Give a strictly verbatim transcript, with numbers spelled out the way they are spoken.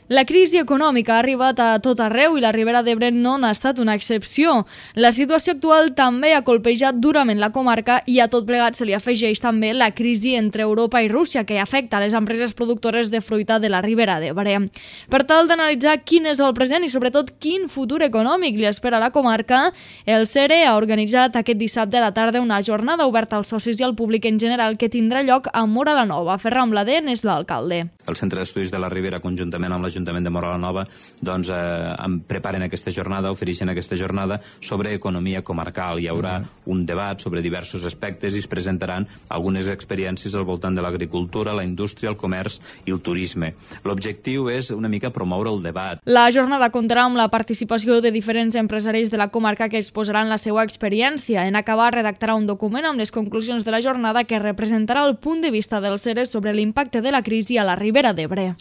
La crisi econòmica ha arribat a tot arreu i la Ribera d'Ebre no n'ha estat una excepció. La situació actual també ha colpejat durament la comarca i a tot plegat se li afegeix també la crisi entre Europa i Rússia que afecta les empreses productores de fruita de la Ribera d'Ebre. Per tal d'analitzar quin és el present i sobretot quin futur econòmic li espera a la comarca, el CERE ha organitzat aquest dissabte a la tarda una jornada oberta als socis i al públic en general que tindrà lloc a Móra la Nova. Ferran Blader n'és l'alcalde. El Centre d'Estudis de la Ribera, conjuntament amb l'Ajuntament de Móra la Nova, doncs, eh, preparen aquesta jornada, ofereixen aquesta jornada sobre economia comarcal. Hi haurà uh-huh. un debat sobre diversos aspectes i es presentaran algunes experiències al voltant de l'agricultura, la indústria, el comerç i el turisme. L'objectiu és una mica promoure el debat. La jornada comptarà amb la participació de diferents empresaris de la comarca que exposaran la seva experiència. En acabar, redactarà un document amb les conclusions de la jornada que representarà el punt de vista del CERE sobre l'impacte de la crisi a la Ribera d'Ebre.